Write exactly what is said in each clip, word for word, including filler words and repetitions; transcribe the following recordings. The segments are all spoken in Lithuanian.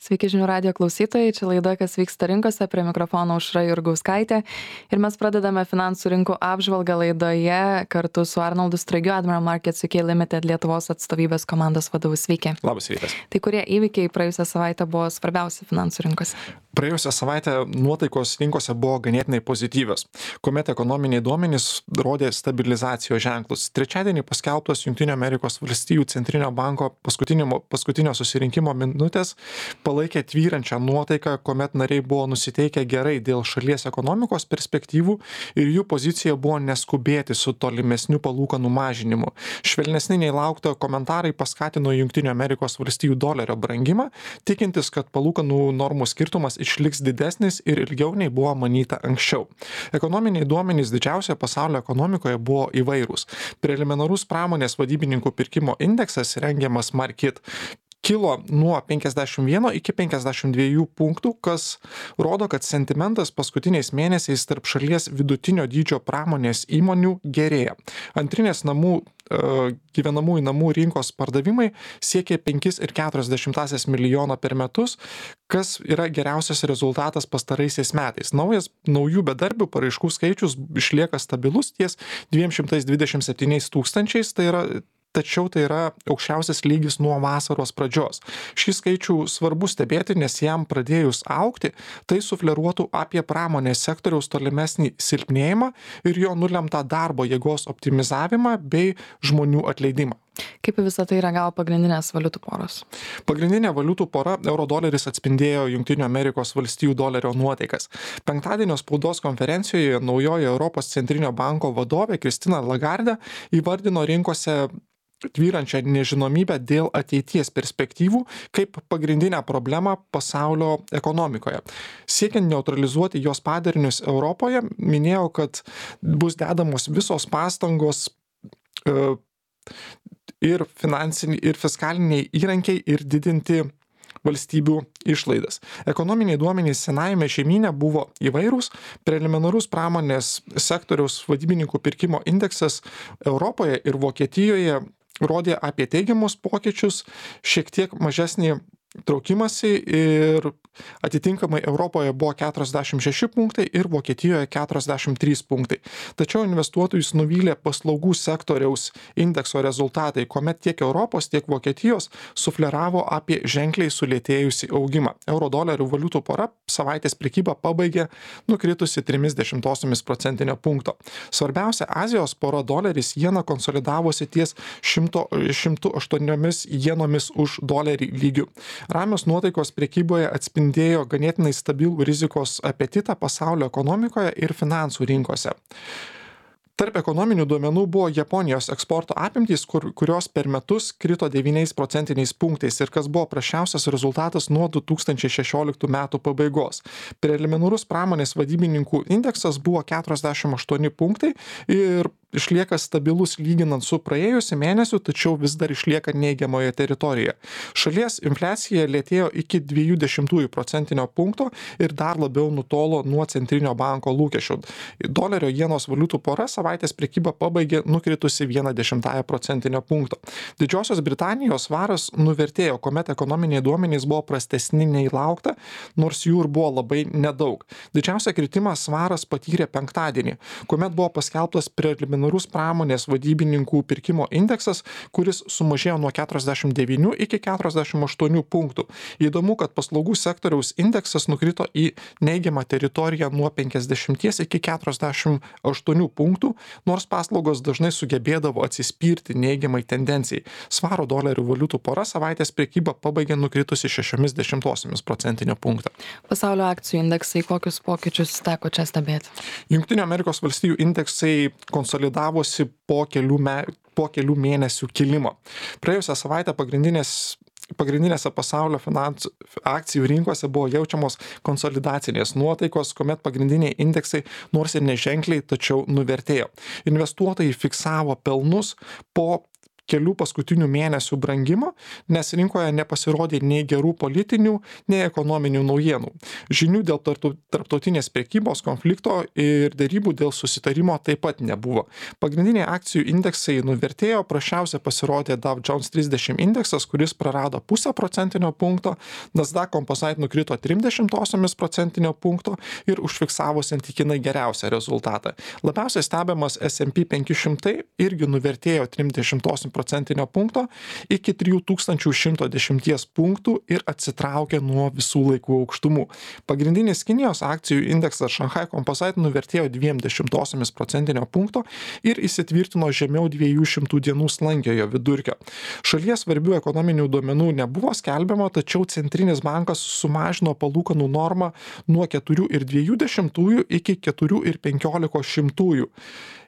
Sveiki žinių radijo klausytojai, čia laida, kas vyksta rinkose, prie mikrofono Aušra Jurgauskaitė. Ir mes pradedame finansų rinkų apžvalgą laidoje kartu su Arnoldu Straigiu, Admiral Markets U K Limited Lietuvos atstovybės komandos vadovu. Sveiki. Labas rytas. Tai kurie įvykiai praėjusią savaitę buvo svarbiausi finansų rinkose? Praėjusią savaitę nuotaikos rinkose buvo ganėtinai pozityvios, kuomet ekonominiai duomenys rodė stabilizacijos ženklus. Trečiadienį paskelbtos Jungtinių Amerikos valstijų centrinio banko paskutinio, paskutinio susirinkimo minutės palaikė tvyrančią nuotaiką, kuomet nariai buvo nusiteikę gerai dėl šalies ekonomikos perspektyvų ir jų pozicija buvo neskubėti su tolimesniu palūkanų mažinimu. Švelnesni nei laukta komentarai paskatino Jungtinių Amerikos valstijų dolerio brangimą, tikintis, kad palūkanų normų skirtumas išliks didesnis ir ilgiau nei buvo manyta anksčiau. Ekonominiai duomenys didžiausioje pasaulio ekonomikoje buvo įvairūs. Preliminarus pramonės vadybininkų pirkimo indeksas rengiamas Markit kilo nuo penkiasdešimt vieno iki penkiasdešimt dviejų punktų, kas rodo, kad sentimentas paskutiniais mėnesiais tarp šalies vidutinio dydžio pramonės įmonių gerėja. Antrinės namų gyvenamųjų namų rinkos pardavimai siekė penki ir keturios dešimtąsias milijono per metus, kas yra geriausias rezultatas pastaraisiais metais. Naujas naujų bedarbių paraiškų skaičius išlieka stabilus ties dviem šimtais dvidešimt septyniais tūkstančiais, tai yra tačiau tai yra aukščiausias lygis nuo vasaros pradžios. Šį skaičių svarbu stebėti, nes jam pradėjus augti, tai sufleruotų apie pramonės sektoriaus tolimesnį silpnėjimą ir jo nulemtą darbo jėgos optimizavimą bei žmonių atleidimą. Kaip visą tai reagavo pagrindinės valiutų poros? Pagrindinė valiutų pora euro-doleris atspindėjo Jungtinių Amerikos valstijų dolerio nuotaikas. Penktadienio spaudos konferencijoje naujoji Europos centrinio banko vadovė Kristina Lagarde įvardino rinkose tvyrančią nežinomybę dėl ateities perspektyvų kaip pagrindinę problemą pasaulio ekonomikoje. Siekiant neutralizuoti jos padarinius Europoje, minėjau, kad bus dedamos visos pastangos e, ir finansiniai, ir fiskaliniai įrankiai ir didinti valstybių išlaidas. Ekonominiai duomenys senajame žemyne buvo įvairūs. Preliminarus pramonės sektoriaus vadybininkų pirkimo indeksas Europoje ir Vokietijoje rodė apie teigiamus pokyčius, šiek tiek mažesnį traukimąsi ir atitinkamai Europoje buvo keturiasdešimt šeši punktai ir Vokietijoje keturiasdešimt trys punktai. Tačiau investuotojus nuvylė paslaugų sektoriaus indekso rezultatai, kuomet tiek Europos, tiek Vokietijos sufleravo apie ženkliai sulėtėjusį augimą. Euro-dolerių valiutų pora savaitės prekybą pabaigė nukritusi trimis dešimtosiomis procentinio punkto. Svarbiausia, Azijos pora doleris jena konsolidavosi ties šimtu aštuoniomis jenomis už dolerį lygių. Ramios nuotaikos prekyboje atspindėjo ganėtinai stabilų rizikos apetitą pasaulio ekonomikoje ir finansų rinkose. Tarp ekonominių duomenų buvo Japonijos eksporto apimtys, kur, kurios per metus krito devyniais procentiniais punktais ir kas buvo prasčiausias rezultatas nuo du tūkstančiai šešioliktų metų pabaigos. Preliminarus pramonės vadybininkų indeksas buvo keturiasdešimt aštuoni punktai ir išlieka stabilus lyginant su praėjusiu mėnesiu, tačiau vis dar išlieka neigiamoje teritorijoje. Šalies infliacija lėtėjo iki dviejų dešimtųjų procentinio punkto ir dar labiau nutolo nuo centrinio banko lūkesčių. Dolerio jenos valiutų pora savaitės prekybą pabaigė nukritusi vieną dešimtąją procentinio punkto. Didžiosios Britanijos svaras nuvertėjo, kuomet ekonominiai duomenys buvo prastesni nei laukta, nors jų ir buvo labai nedaug. Didžiausią kritimą svaras patyrė penktadienį, kuomet buvo paskelbtas preliminarus pramonės vadybininkų pirkimo indeksas, kuris sumažėjo nuo keturiasdešimt devynių iki keturiasdešimt aštuonių punktų. Įdomu, kad paslaugų sektoriaus indeksas nukrito į neigiamą teritoriją nuo penkiasdešimties iki keturiasdešimt aštuonių punktų, nors paslaugos dažnai sugebėdavo atsispirti neigiamai tendencijai. Svaro dolerių valiutų pora savaitės prekybą pabaigė nukritusi šešiomis dešimtosiomis procentinio punkto. Pasaulio akcijų indeksai, kokius pokyčius teko čia stebėti? Jungtinių Amerikos valstijų indeksai konsolidavosi po kelių, me, po kelių mėnesių kilimo. Praėjusią savaitę pagrindinės Pagrindinėse pasaulio finansų akcijų rinkose buvo jaučiamos konsolidacinės nuotaikos, kuomet pagrindiniai indeksai nors ir neženkliai, tačiau nuvertėjo. Investuotojai fiksavo pelnus po kelių paskutinių mėnesių brangimo, nes rinkoje nepasirodė nei gerų politinių, nei ekonominių naujienų. Žinių dėl tarptautinės prekybos konflikto ir dėrybų dėl susitarimo taip pat nebuvo. Pagrindiniai akcijų indeksai nuvertėjo, prasčiausia pasirodė Dow Jones trisdešimt indeksas, kuris prarado pusę procentinio punkto, Nasdaq Composite nukrito trim dešimtosiomis procentinio punkto ir užfiksavo santykinai geriausią rezultatą. Labiausiai stebimas S and P penki šimtai irgi nuvertėjo trim dešimtosiomis procentinio punkto iki trijų tūkstančių šimto dešimties punktų ir atsitraukė nuo visų laikų aukštumų. Pagrindinis Kinijos akcijų indeksas Shanghai Composite nuvertėjo dviem dešimtosiomis procentinio punkto ir įsitvirtino žemiau dviejų šimtų dienų slankiojo vidurkio. Šalies svarbių ekonominių duomenų nebuvo skelbiama, tačiau Centrinis bankas sumažino palūkanų normą nuo keturių ir dviejų dešimtųjų iki keturių ir penkiolikos šimtųjų.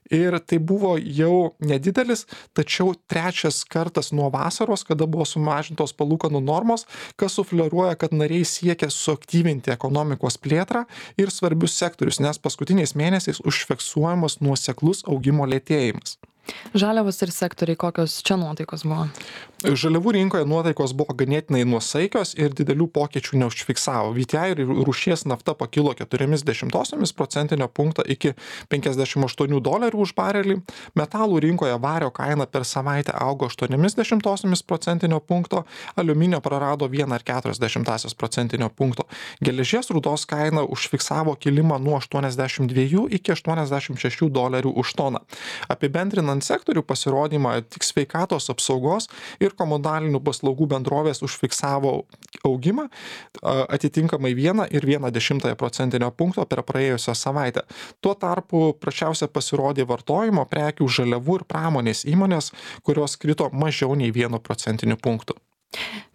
Ir tai buvo jau nedidelis, tačiau trečias kartas nuo vasaros, kada buvo sumažintos palūkanų normos, kas sufleruoja, kad nariai siekia suaktyvinti ekonomikos plėtrą ir svarbius sektorius, nes paskutiniais mėnesiais užfiksuojamas nuoseklus augimo lėtėjimas. Žaliavos ir sektoriai, kokios čia nuotaikos buvo? Žaliavų rinkoje nuotaikos buvo ganėtinai nuosaikios ir didelių pokyčių neužfiksavo. V T I ir rūšies nafta pakilo keturiomis dešimtosiomis procentinio punkto iki penkiasdešimt aštuonių dolerių už barelį. Metalų rinkoje vario kaina per savaitę augo aštuoniomis dešimtosiomis procentinio punkto, aliuminio prarado vieną ir keturias dešimtąsias procentinio punkto. Geležies rūdos kaina užfiksavo kilimą nuo aštuoniasdešimt dviejų iki aštuoniasdešimt šešių dolerių už toną. Apibendrinant sektorių pasirodymą, tik sveikatos apsaugos ir komunalinių paslaugų bendrovės užfiksavo augimą atitinkamai vieną ir vieną dešimtąją procentinio punkto per praėjusią savaitę. Tuo tarpu prasčiausia pasirodė vartojimo prekių, žaliavų ir pramonės įmonės, kurios krito mažiau nei vienu procentiniu punktu.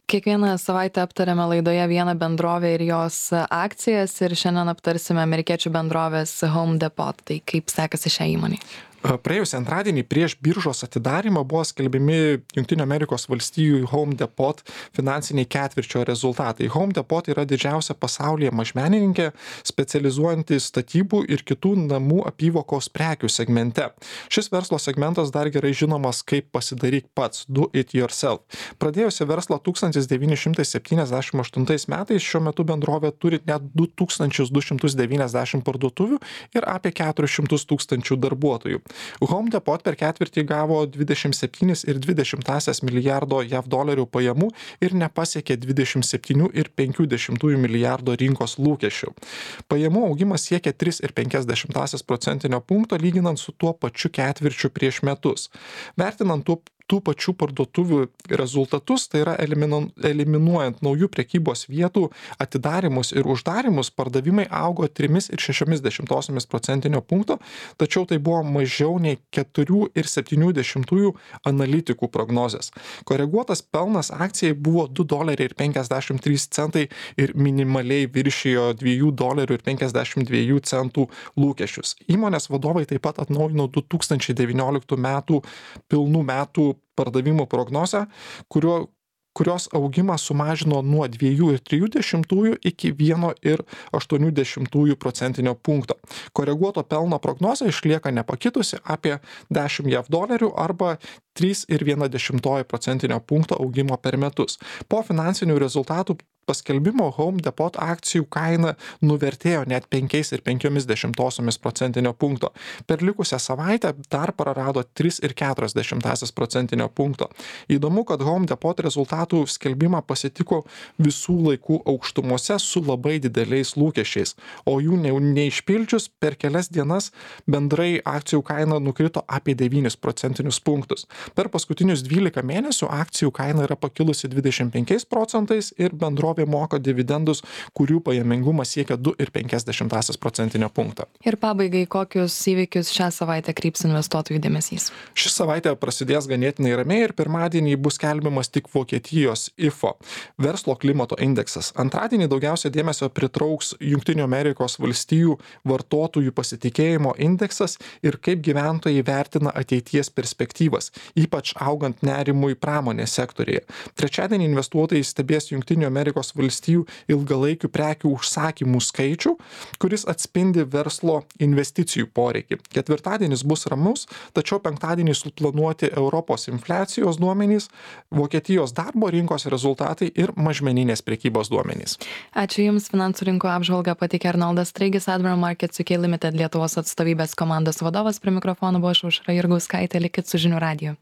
Kiekvieną savaitę aptarėme laidoje vieną bendrovę ir jos akcijas ir šiandien aptarsime amerikiečių bendrovės Home Depot. Tai kaip sekasi šią įmonę? Praėjusį antradienį prieš biržos atidarimą buvo skelbiami Jungtinių Amerikos valstijų Home Depot finansiniai ketvirčio rezultatai. Home Depot yra didžiausia pasaulyje mažmenininkė, specializuojanti statybų ir kitų namų apyvokos prekių segmente. Šis verslo segmentas dar gerai žinomas kaip pasidaryk pats, do it yourself. Pradėjusi verslą tūkstantis devyni šimtai septyniasdešimt aštuntais metais, šiuo metu bendrovė turi net du tūkstančius du šimtus devyniasdešimt parduotuvių ir apie keturis šimtus tūkstančių darbuotojų. Home Depot per ketvirtį gavo dvidešimt septynis ir dvi dešimtąsias milijardo jav dolerių pajamų ir nepasiekė dvidešimt septynių ir penkių dešimtųjų milijardo rinkos lūkesčių. Pajamų augimas siekia tris ir penkias dešimtąsias procentinio punkto lyginant su tuo pačiu ketvirčiu prieš metus. Vertinant tų tų pačių parduotuvių rezultatus, tai yra eliminuojant naujų prekybos vietų atidarimus ir uždarimus, pardavimai augo trimis ir šešiomis dešimtosiomis procentinio punkto, tačiau tai buvo mažiau nei keturių ir septynių dešimtųjų analitikų prognozės. Koreguotas pelnas akcijai buvo du doleriai ir penkiasdešimt trys centai ir minimaliai viršijo dviejų dolerių ir penkiasdešimt dviejų centų lūkesčius. Įmonės vadovai taip pat atnaujino du tūkstančiai devynioliktų metų pilnų metų pardavimų prognozę, kurio, kurios augimą sumažino nuo dviejų ir trijų dešimtųjų iki vieno ir aštuonių dešimtųjų procentinio punkto. Koreguoto pelno prognozė išlieka nepakitusi apie dešimt jav dolerių arba trys ir viena dešimtoji procentinio punkto augimo per metus. Po finansinių rezultatų paskelbimo Home Depot akcijų kaina nuvertėjo net penkiais ir penkiomis dešimtosiomis procentinio punkto. Per likusią savaitę dar prarado tris ir keturias dešimtąsias procentinio punkto. Įdomu, kad Home Depot rezultatų skelbimą pasitiko visų laikų aukštumose su labai dideliais lūkesčiais, o jų ne, neišpildžius per kelias dienas bendrai akcijų kaina nukrito apie devynis procentinius punktus. Per paskutinius dvylika mėnesių akcijų kaina yra pakilusi dvidešimt penkiais procentais ir bendrovė moka dividendus, kurių pajamingumas siekia du ir penkias dešimtąsias procentinio punkto. Ir pabaigai, kokius įvykius šią savaitę kryps investuotojų dėmesys? Ši savaitė prasidės ganėtinai ramiai ir pirmadienį bus skelbiamas tik Vokietijos I F O, verslo klimato indeksas. Antradienį daugiausia dėmesio pritrauks Jungtinių Amerikos valstijų vartotojų pasitikėjimo indeksas ir kaip gyventojai vertina ateities perspektyvas, ypač augant nerimui pramonės sektorėje. Trečiadienį investuotojai stebės Jungtinių Amerikos Amerikos valstijų ilgalaikių prekių užsakymų skaičių, kuris atspindi verslo investicijų poreikį. Ketvirtadienis bus ramus, tačiau penktadienį suplanuoti Europos infliacijos duomenys, Vokietijos darbo rinkos rezultatai ir mažmeninės prekybos duomenys. Ačiū Jums, finansų rinkų apžvalgą pateikė Arnoldas Straigis, Admiral Markets U K Limited Lietuvos atstovybės komandos vadovas. Prie mikrofono buvo aš Aušra Jurgauskaitė, likit su žinių radiju.